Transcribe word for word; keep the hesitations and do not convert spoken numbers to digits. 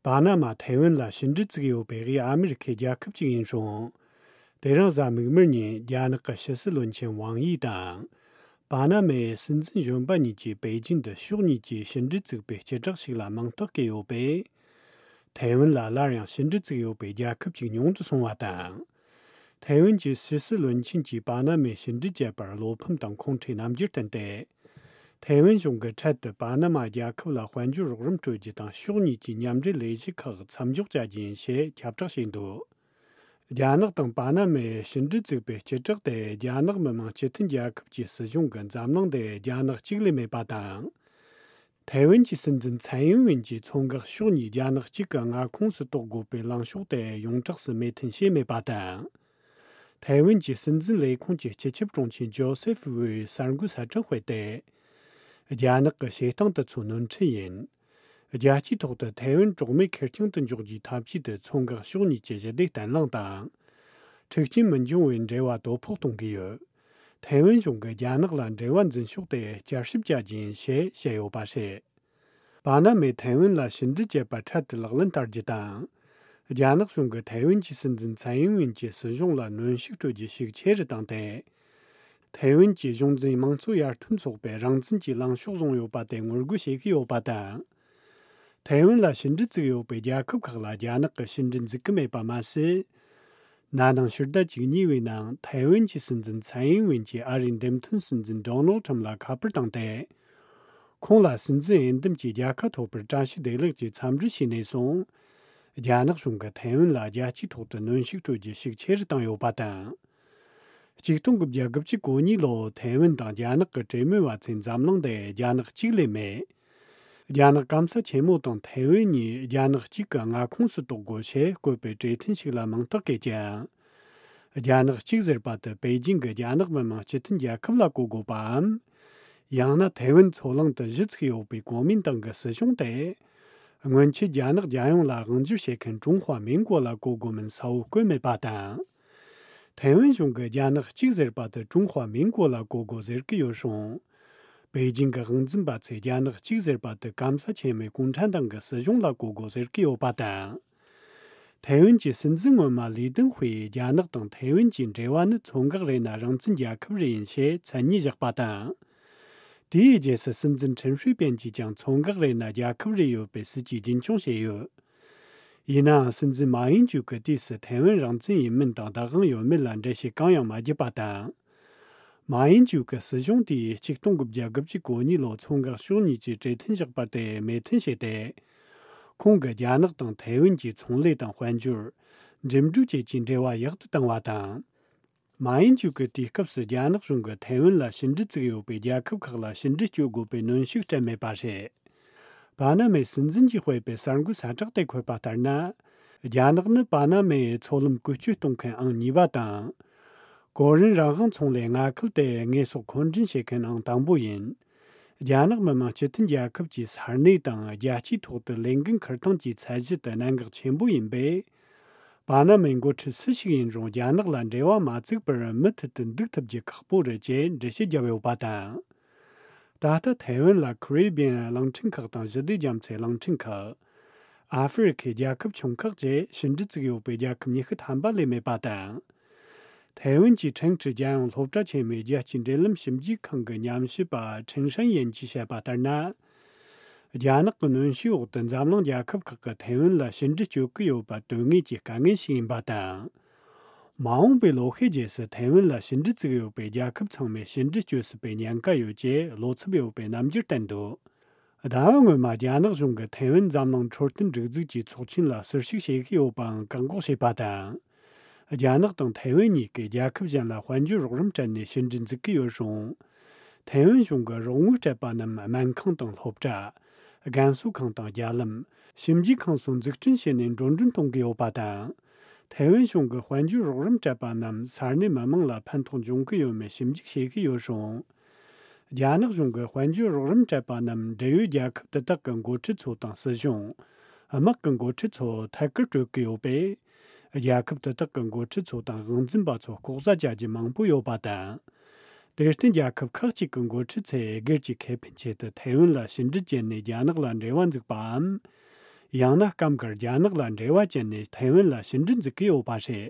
པ་ན་མ་ཐའེ་ཝན་ལ་ཕྱི་འབྲེལ་བཙུགས་ཡོད་པའི་དབུས་ཨ་མི་རི་ཁའི་རྒྱལ་ཁབ་ཅིག་ཡིན་རུང་། དེ་རིང་གཟའ་མིག་དམར་ཉིན་རྒྱ་ནག་གི་ཕྱི་སྲིད་བློན་ཆེན་ཝང་ཡི་དང་། པ་ན་མའི་སྲིད་འཛིན་གཞོན་པ་གཉིས་ཀྱིས་པེ་ཅིན་དུ་ཕྱོགས་གཉིས་ཀྱིས་ཕྱི་འབྲེལ་བཙུགས་པའི་སྤྱི་བསྒྲགས་ཤིག་ལ་མིང་རྟགས་བཀོད་ཡོད་པས། ཐའེ་ཝན་ལ་སླར་ཡང་ཕྱི་འབྲེལ་བཙུགས་ཡོད་པའི་རྒྱལ་ཁབ་ཅིག་ཉུང་དུ་སོང་བ་དང་། ཐའེ་ཝན་གྱི་ཕྱི་སྲིད་བློན་ཆེན་གྱིས་པ་ན་མའི་ཕྱི་འབྲེལ་བྱས་པར་བློ་ཕམ་དང་ཁོང་ཁྲོའི་རྣམ་འགྱུར་བསྟན་ཏེ། ཐའེ་ཝན་གཞུང་གིས་འཕྲལ་དུ་པ་ན་མ་རྒྱལ་ཁབ་ལ་དཔལ་འབྱོར་རོགས་རམ་སྤྲོད་རྒྱུ་དང་ཕྱོགས་གཉིས་ཀྱི་མཉམ་འབྲེལ་ལས་གཞི་ཁག་མཚམས་འཇོག་བྱ་རྒྱུ་ཡིན་ཞེས་ཁྱབ་བསྒྲགས་བྱས་འདུག་རྒྱ་ནག་དང་པ་ན་མའི་ཕྱི་འབྲེལ་བཙུགས་པའི་སྤྱི་བསྒྲགས་དེ་རྒྱ་ནག་མི་དམངས་སྤྱི་མཐུན་རྒྱལ་ཁབ་ཀྱི་སྲིད་གཞུང་གིས་འཛམ་གླིང་འདི་རྒྱ་ནག་གཅིག་ལས་མེད་པ་དང་། ཐའེ་ཝན་གྱི་སྲིད་འཛིན་ཚན་ཡིན་ཝིན་གྱིས་མཚོ་འགག་ཕྱོགས་གཉིས་རྒྱ་ནག་གཅིག་གི་མངའ་ཁོངས་སུ་གཏོགས་དགོས་པའི་ལངས་ཕྱོགས་དེ་ཡོངས་གྲགས་སུ་མོས་མཐུན་བྱས་མེད་པ་དང་། ཐའེ་ཝན་གྱི་སྲིད་འཛིན་ལས་ཁུངས་ཀྱི་སྤྱི་ཁྱབ་དྲུང་ཆེ་ཇོ་སེ་ཧྥི་ཝུས་གསར་འགོད་གསལ་བསྒྲགས་སྤེལ་ཏེ། རྒྱ་ནག་གི་བྱེད་སྟངས་དེ་ཚོ་ནོར་འཁྲུལ་ཡིན། རྒྱལ་སྤྱིའི་ཐོག་ཏུ་ཐའེ་ཝན་གྲོགས་མེད་ཁེར་རྐྱང་དུ་འཇོག་རྒྱུའི་ཐབས་ཇུས་དེ་མཚོ་འགག་ཕྱོགས་གཉིས་ཀྱི་ཞི་བདེ་བརྟན་ལྷིང་དང་། འཁྲུག་རྐྱེན་མི་འབྱུང་བའི་འབྲེལ་བ་དོ་ཕོག་གཏོང་གི་ཡོད། ཐའེ་ཝན་གཞུང་གིས་རྒྱ་ནག་ལ་འབྲེལ་བ་འཛིན་ཕྱོགས་དེ་བསྐྱར་ཞིབ་བྱ་རྒྱུ་ཡིན་ཞེས་བཤད་ཡོད་པ་རེད། པ་ན་མས་ཐའེ་ཝན་ལ་ཕྱི་འབྲེལ་བྱེད་པ་འཕྲལ་དུ་ལག་ལེན་བསྟར་རྒྱུ་དང་། རྒྱ་ནག་གཞུང་གིས་ཐའེ་ཝན་གྱི་སྲིད་འཛིན་ཚན་ཡིན་ཝིན་གྱི་སྲིད་གཞུང་ལ་གནོན་ཤུགས་སྤྲོད་རྒྱུ་ཤུགས་ཆེ་རུ་བཏང་སྟེ། ཐའེ་ཝན་གྱི་གཞུང་འཛིན་དམངས་གཙོ་ཡར་ཐོན་ཚོགས་པས་རང་བཙན་གྱི་ལངས་ཕྱོགས་བཟུང་ཡོད་པ་དེ་ངོ་རྒོལ་བྱེད་ཀྱི་ཡོད་པ་དང་། ཐའེ་ཝན་ལ་ཕྱི་འབྲེལ་བཙུགས་ཡོད་པའི་རྒྱལ་ཁབ་ཁག་ལ་རྒྱ་ནག་གིས་ཕྱི་འབྲེལ་འཛུགས་ཀྱི་མེད་པ་མ་ཟད། ན་ནིང་ཕྱི་ཟླ་བཅུ་གཉིས་པའི་ནང་ཐའེ་ཝན་གྱི་སྲིད་འཛིན་ཚན་ཡིན་ཝིན་གྱིས་ཨ་རིའི་འདེམས་ཐོན་སྲིད་འཛིན་ཌོ་ནལ་ཁྲམ་ལ་ཁ་པར་བཏང་སྟེ། ཁོང་ལ་སྲིད་འཛིན་འོས་འདེམས་ཀྱི་རྒྱལ་ཁ་ཐོབ་པར་བཀྲ་ཤིས་བདེ་ལེགས་ཀྱི་འཚམས་འདྲི་ཞུས་ནས་བཟུང་། རྒྱ་ནག་གཞུང་གིས་ཐའེ་ཝན་ལ་རྒྱལ་སྤྱིའི་ཐོག་ཏུ་གནོན་ཤུགས་སྤྲོད་རྒྱུ་ཤུགས་ཆེ་རུ་བཏང་ཡོད་པ་དང་། གཅིག་སྟོང་དགུ་བརྒྱ་དགུ་བཅུ་གོ་གཉིས་ལོར་ཐའེ་ཝན་དང་རྒྱ་ནག་གི་གྲོས་མོལ་བ་ཚོས་འཛམ་གླིང་འདི་རྒྱ་ནག་གཅིག་ལས་མེད། རྒྱ་ནག་སྐམ་ས་ཆེན་མོ་དང་ཐའེ་ཝན་གཉིས་རྒྱ་ནག་གཅིག་གི་མངའ་ཁོངས་སུ་གཏོགས་དགོས་ཞེས་བཀོད་པའི་གྲོས་མཐུན་ཞིག་ལ་མིང་རྟགས་བཀོད་ཀྱང་། རྒྱ་ནག་གཅིག་ཟེར་པ་དེ་པེ་ཅིང་གིས་རྒྱ་ནག་མི་དམངས་སྤྱི་མཐུན་རྒྱལ་ཁབ་ལ་གོ་དགོས་པའམ། ཡང་ན་ཐའེ་ཝན་མཚོ་གླིང་དུ་གཞི་ཚུགས་ཡོད་པའི་གོ་མིན་ཏང་གི་སྲིད་གཞུང་དེ། སྔོན་ཆད་རྒྱ་ནག་རྒྱལ་ཡོངས་ལ་དབང་སྒྱུར་བྱེད་མཁན་ཀྲུང་ཧྭ་མིན་གོ་ལ་གོ་དགོས་མིན་གསལ་བོ་བཀོད་མེད་པ་དང་། ཐའེ་ཝན་གཞུང་གིས་རྒྱ་ནག་གཅིག་ཟེར་པ་དེ་ཀྲུང་ཧྭ་མིན་གོ་ལ་གོ་དགོས་ཟེར་གྱི་ཡོད་རུང་། པེ་ཅིང་གི་དབང་འཛིན་པ་ཚོས་རྒྱ་ནག་གཅིག་ཟེར་པ་དེ་སྐམ་ས་ཆེན་མོའི་གུང་ཁྲན་ཏང་གི་སྲིད་གཞུང་ལ་གོ་དགོས་ཟེར་གྱི་ཡོད་པ་དང་། ཐའེ་ཝན་གྱི་སྲིད་འཛིན་སྔོན་མ་ལི་ཏིན་ཧུའེ་རྒྱ་ནག་དང་ཐའེ་ཝན་གྱི་འབྲེལ་བ་ནི་མཚོ་འགག་རེད་ན་རང་བཙན་རྒྱལ་ཁབ་རེད་ཡིན་ཞེས་མཚན་ཉིད་བཞག་པ་དང་། དེའི་རྗེས་སུ་སྲིད་འཛིན་ཁྲིན་ཧྲུའེ་པེན་གྱིས་ཀྱང་མཚོ་འགག་རེད་ན་རྒྱལ་ཁབ་རེད་ཡོད་པའི་སྲིད་ཇུས་རྒྱུན་འཁྱོངས་བྱས་ཡོད། ཡིན་ནའང་སྲིད་འཛིན་མཱ་ཡིན་ཅུའུ་གི་དུས་སུ་ཐའེ་ཝན་རང་བཙན་ཡིན་མིན་དང་བདག་དབང་ཡོད་མེད་ལ་འགྲེལ་བཤད་གང་ཡང་མ་བརྒྱབ་པ་དང་། མཱ་ཡིན་ཅུའུ་གི་སྲིད་གཞུང་དེས་ཆིག་སྟོང་དགུ་བརྒྱ་དགུ་བཅུ་གོ་གཉིས་ལོར་མཚོ་འགག་ཕྱོགས་གཉིས་ཀྱི་གྲོས་མཐུན་བཞག་པ་དེ་མོས་མཐུན་བྱས་ཏེ། ཁོང་གིས་རྒྱ་ནག་དང་ཐའེ་ཝན་གྱི་ཚོང་ལས་དང་དཔལ་འབྱོར། འགྲིམ་འགྲུལ་བཅས་ཀྱི་འབྲེལ་བ་ཡག་ཏུ་བཏང་བ་དང་། མཱ་ཡིན་ཅུའུ་གི་དུས་སྐབས་སུ་རྒྱ་ནག་གཞུང་གིས་ཐའེ་ཝན་ལ་ཕྱི་འབྲེལ་བཙུགས་ཡོད་པའི་རྒྱལ་ཁབ་ཁག་ལ་ཕྱི་འབྲེལ་གཅོད་དགོས་པའི་གནོན་ཤུགས་སྤྲད་མེད་པ་རེད། པ་ན་མའི་སྲིད་འཛིན་གྱིས་སྤེལ་པའི་གསར་འགོད་གསལ་བསྒྲགས་དེ་འཁོད་པ་ལྟར་ན། རྒྱ་ནག་ནི་པ་ན་མའི་མཚོ་ལམ་བཀོལ་སྤྱོད་གཏོང་མཁན་ཨང་གཉིས་པ་དང་། ཀོ་རིན་རང་དབང་ཚོང་ལས་མངའ་ཁུལ་དེ་དངོས་ཟོག་མཁོ་འདྲེན་བྱེད་མཁན་ཨང་དང་པོ་ཡིན། རྒྱ་ནག་མི་དམངས་སྤྱི་མཐུན་རྒྱལ་ཁབ་ཀྱི་ས་གནས་དང་རྒྱལ་སྤྱིའི་ཐོག་ཏུ་ལས་འགན་འཁུར་སྟངས་ཀྱི་ཚད་གཞི་དེ་གནད་འགག་ཆེན་པོ་ཡིན་པས། པ་ན་མའི་འགོ་ཁྲིད་སུ་ཞིག་ཡིན་རུང་རྒྱ་ནག་ལ་འབྲེལ་བ་མ་བཙུགས་པར་མུ་མཐུད་དུ་འདུག་ཐུབ་རྒྱུ་ཁག་པོ་རེད་ཅེས་འགྲེལ་བཤད་བརྒྱབ་ཡོད་པ་དང་། ད་ལྟ་ཐའེ་ཝན་ལ་ཁེ་རི་བི་ཡན་གླིང་ཕྲན་ཁག་དང་ཞི་བདེ་རྒྱ་མཚོའི་གླིང་ཕྲན་ཁག་ཨ་ཧྥེ་རི་ཁའི་རྒྱལ་ཁབ་ཆུང་ཁག་བཅས་ཕྱི་འབྲེལ་བཙུགས་ཡོད་པའི་རྒྱལ་ཁབ་ཉི་ཤུ་ཐམ་པ་ལས་མེད་པ་དང་། ཐའེ་ཝན་གྱི་ཁྲེང་ཀྲི་རྒྱལ་ཡོངས་སློབ་གྲྭ་ཆེན་མོའི་རྒྱལ་སྤྱིའི་འབྲེལ་ལམ་ཞིབ་འཇུག་ཁང་གི་ཉམས་ཞིབ་པ་ཁྲེང་ཧྲན་ཡན་གྱིས་བཤད་པ་ལྟར་ན། རྒྱ་ནག་གི་གནོན་ཤུགས་འོག་ཏུ་འཛམ་གླིང་རྒྱལ་ཁབ་ཁག་གིས་ཐའེ་ཝན་ལ་ཕྱི་འབྲེལ་གཅོད་ཀྱི་ཡོད་པ་དོན་དངོས་ཀྱི་དཀའ་ངལ་ཞིག་ཡིན་པ་དང་། མ་འོངས་པའི་ལོ་ཤས་རྗེས་སུ་ཐའེ་ཝན་ལ་ཕྱི་འབྲེལ་བཙུགས་ཡོད་པའི་རྒྱལ་ཁབ་ཚང་མས་ཕྱི་འབྲེལ་གཅོད་སྲིད་པའི་ཉེན་ཁ་ཡོད་ཅེས་བློ་འཚབ་ཡོད་པའི་རྣམ་འགྱུར་བསྟན་འདུག་ཟླ་བ་སྔོན་མ་རྒྱ་ནག་གཞུང་གིས་ཐའེ་ཝན་འཛམ་གླིང་འཕྲོད་བསྟེན་སྒྲིག་འཛུགས་ཀྱི་ཚོགས་ཆེན་ལ་ཟུར་ཞུགས་བྱེད་ཀྱི་ཡོད་པའང་བཀག་འགོག་བྱས་པ་དང་། རྒྱ་ནག་དང་ཐའེ་ཝན་གཉིས་ཀས་རྒྱལ་ཁབ་གཞན་ལ་དཔལ་འབྱོར་རོགས་རམ་སྤྲད་ནས་ཕྱི་འབྲེལ་འཛུགས་ཀྱི་ཡོད་རུང་། ཐའེ་ཝན་གཞུང་གིས་རོགས་དངུལ་སྤྲད་པ་རྣམས་སྨན་ཁང་དང་སློབ་གྲྭ། རྒན་གསོ་ཁང་དང་རྒྱ་ལམ། ཞིབ་འཇུག་ཁང་སོགས་འཛུགས་སྐྲུན་བྱས་ནས་འགྲོ་གྲོན་གཏོང་གི་ཡོད་པ་དང་། ཐའེ་ཝན་གཞུང་གིས་དཔལ་འབྱོར་རོགས་རམ་སྤྲད་པ་རྣམས་ས་གནས་མི་མང་ལ་ཕན་ཐོགས་འབྱུང་གི་ཡོད་མེད་ཞིབ་འཇུག་བྱེད་ཀྱི་ཡོད་རུང་། རྒྱ་ནག་གཞུང་གིས་དཔལ་འབྱོར་རོགས་རམ་སྤྲད་པ་རྣམས་འབྲེལ་ཡོད་རྒྱལ་ཁབ་དེ་དག་གི་འགོ་ཁྲིད་ཚོ་དང་སྲིད་གཞུང་། དམག་གི་འགོ་ཁྲིད་ཚོ་ཐད་ཀར་སྤྲོད་ཀྱི་ཡོད་པས། རྒྱལ་ཁབ་དེ་དག་གི་འགོ་ཁྲིད་ཚོ་དང་དབང་འཛིན་པ་ཚོ་ལྐོག་ཟ་བྱ་རྒྱུ་མང་པོ་ཡོད་པ་དང་། དེར་བརྟེན་རྒྱལ་ཁབ་ཁག་ཅིག་གི་འགོ་ཁྲིད་ཚོས་སྒེར་གྱི་ཁེ་ཕན་ཆེད་དུ་ཐའེ་ཝན་ལ་ཕྱི་འབྲེལ་བྱས་ནས་རྒྱ་ནག་ལ་འབྲེལ་བ་འཛུགས་པའམ། ཡང་ན་སྐབས་འགར་རྒྱ་ནག་ལ་འབྲེལ་བ་བཅད་ནས་ཐའེ་ཝན་ལ་ཕྱི་འབྲེལ་འཛུགས་ཀྱི་ཡོད་པ་རེད།